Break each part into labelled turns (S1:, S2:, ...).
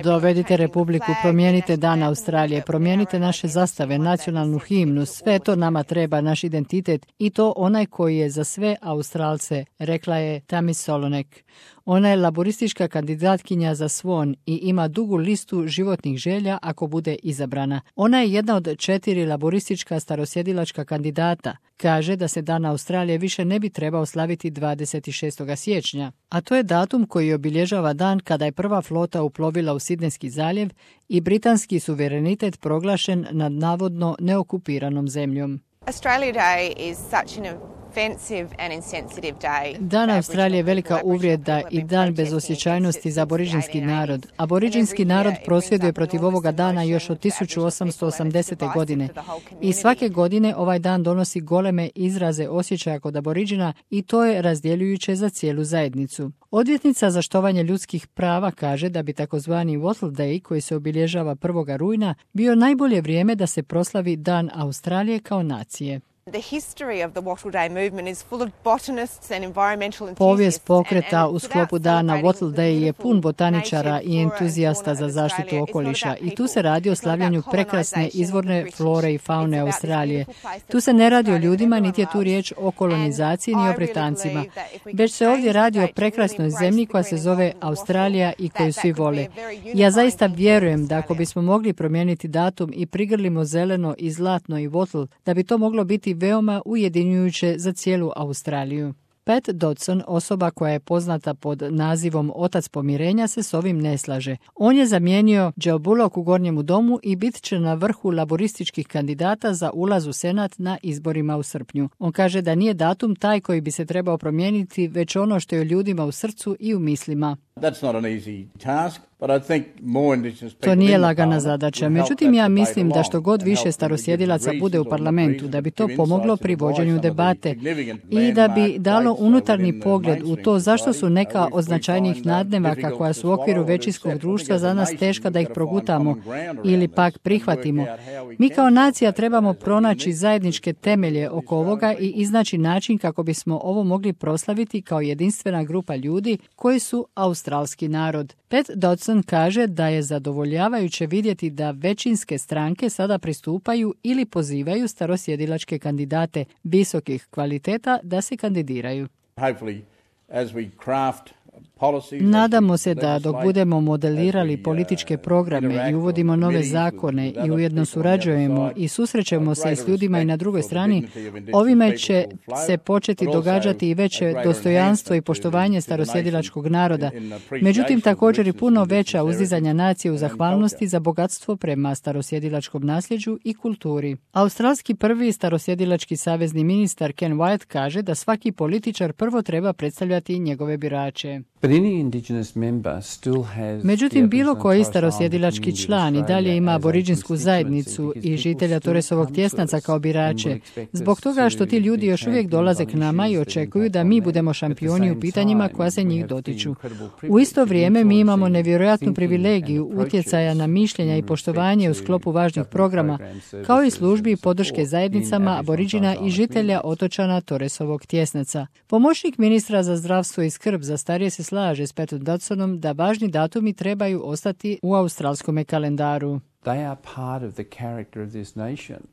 S1: Dovedite Republiku, promijenite Dan Australije, promijenite naše zastave, nacionalnu himnu, sve to nama treba, naš identitet i to onaj koji je za sve Australce, rekla je Tammy Solonek. Ona je laboristička kandidatkinja za Swan i ima dugu listu životnih želja ako bude izabrana. Ona je jedna od 4 laboristička starosjedilačka kandidata. Kaže da se Dan Australije više ne bi trebao slaviti 26. siječnja, a to je datum koji obilježava dan kada je prva flota uplovila u Sidnejski zaljev i britanski suverenitet proglašen nad navodno neokupiranom zemljom.
S2: Australia Day is such an offensive and insensitive day.
S1: Dan Australije je velika uvrijeda i dan bez osjećajnosti za aboriđinski narod. Aboriđinski narod prosvjeduje protiv ovoga dana još od 1880. godine i svake godine ovaj dan donosi goleme izraze osjećaja kod aboriđina i to je razdjeljujuće za cijelu zajednicu. Odvjetnica za štovanje ljudskih prava kaže da bi takozvani Wattle Day, koji se obilježava 1. rujna, bio najbolje vrijeme da se proslavi Dan Australije kao nacije. Povijest pokreta u sklopu dana Wattle Day je pun botaničara i entuzijasta za zaštitu okoliša i tu se radi o slavljanju prekrasne izvorne flore i faune Australije. Tu se ne radi o ljudima, niti je tu riječ o kolonizaciji ni o Britancima, već se ovdje radi o prekrasnoj zemlji koja se zove Australija i koju svi vole. Ja zaista vjerujem da ako bismo mogli promijeniti datum i prigrlimo zeleno i zlatno i Wattle, da bi to moglo biti veoma ujedinjujuće za cijelu Australiju. Pat Dodson, osoba koja je poznata pod nazivom Otac pomirenja, se s ovim ne slaže. On je zamijenio Joe Bullock u Gornjemu domu i bit će na vrhu laborističkih kandidata za ulaz u Senat na izborima u srpnju. On kaže da nije datum taj koji bi se trebao promijeniti, već ono što je ljudima u srcu i u mislima. To nije lagana zadaća. Međutim, ja mislim da što god više starosjedilaca bude u parlamentu, da bi to pomoglo pri vođenju debate i da bi dalo unutarnji pogled u to zašto su neka od značajnijih nadnevaka koja su u okviru većinskog društva za nas teška da ih progutamo ili pak prihvatimo. Mi kao nacija trebamo pronaći zajedničke temelje oko ovoga i iznaći način kako bismo ovo mogli proslaviti kao jedinstvena grupa ljudi koji su australski narod. Pat Dodson kaže da je zadovoljavajuće vidjeti da većinske stranke sada pristupaju ili pozivaju starosjedilačke kandidate visokih kvaliteta da se kandidiraju. Nadamo se da dok budemo modelirali političke programe i uvodimo nove zakone i ujedno surađujemo i susrećemo se s ljudima i na drugoj strani, ovime će se početi događati i veće dostojanstvo i poštovanje starosjedilačkog naroda. Međutim, također i puno veća uzdizanja nacije u zahvalnosti za bogatstvo prema starosjedilačkom nasljeđu i kulturi. Australski prvi starosjedilački savezni ministar Ken Wyatt kaže da svaki političar prvo treba predstavljati njegove birače. Međutim, bilo koji starosjedilački član i dalje ima aboriđinsku zajednicu i žitelja Torresovog tjesnaca kao birače, zbog toga što ti ljudi još uvijek dolaze k nama i očekuju da mi budemo šampioni u pitanjima koja se njih dotiču. U isto vrijeme mi imamo nevjerojatnu privilegiju utjecaja na mišljenja i poštovanje u sklopu važnih programa, kao i službi i podrške zajednicama aboriđina i žitelja otočana Torresovog tjesnaca. Pomoćnik ministra za zdravstvo i skrb za starije se slaže s Patom Dodsonom da važni datumi trebaju ostati u australskom kalendaru.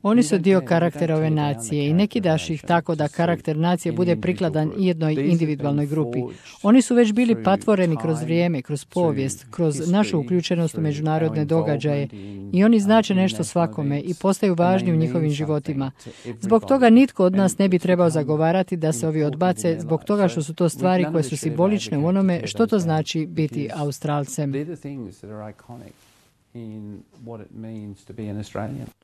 S1: Oni su dio karaktera ove nacije i ne kidaš ih tako da karakter nacije bude prikladan jednoj individualnoj grupi. Oni su već bili patvoreni kroz vrijeme, kroz povijest, kroz našu uključenost u međunarodne događaje i oni znače nešto svakome i postaju važni u njihovim životima. Zbog toga nitko od nas ne bi trebao zagovarati da se ovi odbace, zbog toga što su to stvari koje su simbolične u onome što to znači biti Australcem.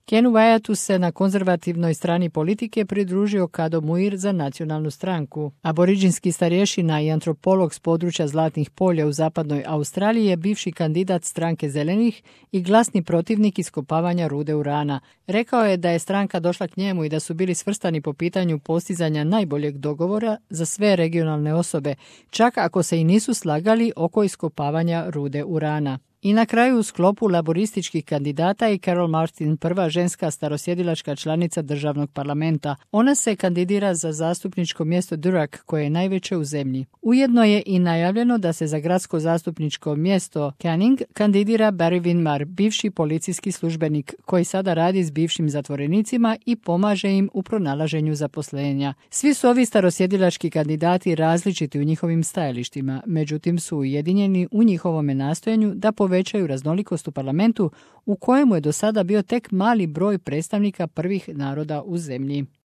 S1: Kenu Wyattу se na konzervativnoj strani politike pridružio Kado Muir za nacionalnu stranku. Aboriđinski starješina i antropolog s područja Zlatnih polja u zapadnoj Australiji je bivši kandidat stranke Zelenih i glasni protivnik iskopavanja rude urana. Rekao je da je stranka došla k njemu i da su bili svrstani po pitanju postizanja najboljeg dogovora za sve regionalne osobe, čak ako se i nisu slagali oko iskopavanja rude urana. I na kraju u sklopu laborističkih kandidata je Carol Martin, prva ženska starosjedilačka članica državnog parlamenta. Ona se kandidira za zastupničko mjesto Durack, koje je najveće u zemlji. Ujedno je i najavljeno da se za gradsko zastupničko mjesto Canning kandidira Barry Winmar, bivši policijski službenik, koji sada radi s bivšim zatvorenicima i pomaže im u pronalaženju zaposlenja. Svi su ovi starosjedilački kandidati različiti u njihovim stajalištima, međutim su ujedinjeni u njihovome nastojanju da povećaju raznolikost u parlamentu, u kojemu je do sada bio tek mali broj predstavnika prvih naroda u zemlji.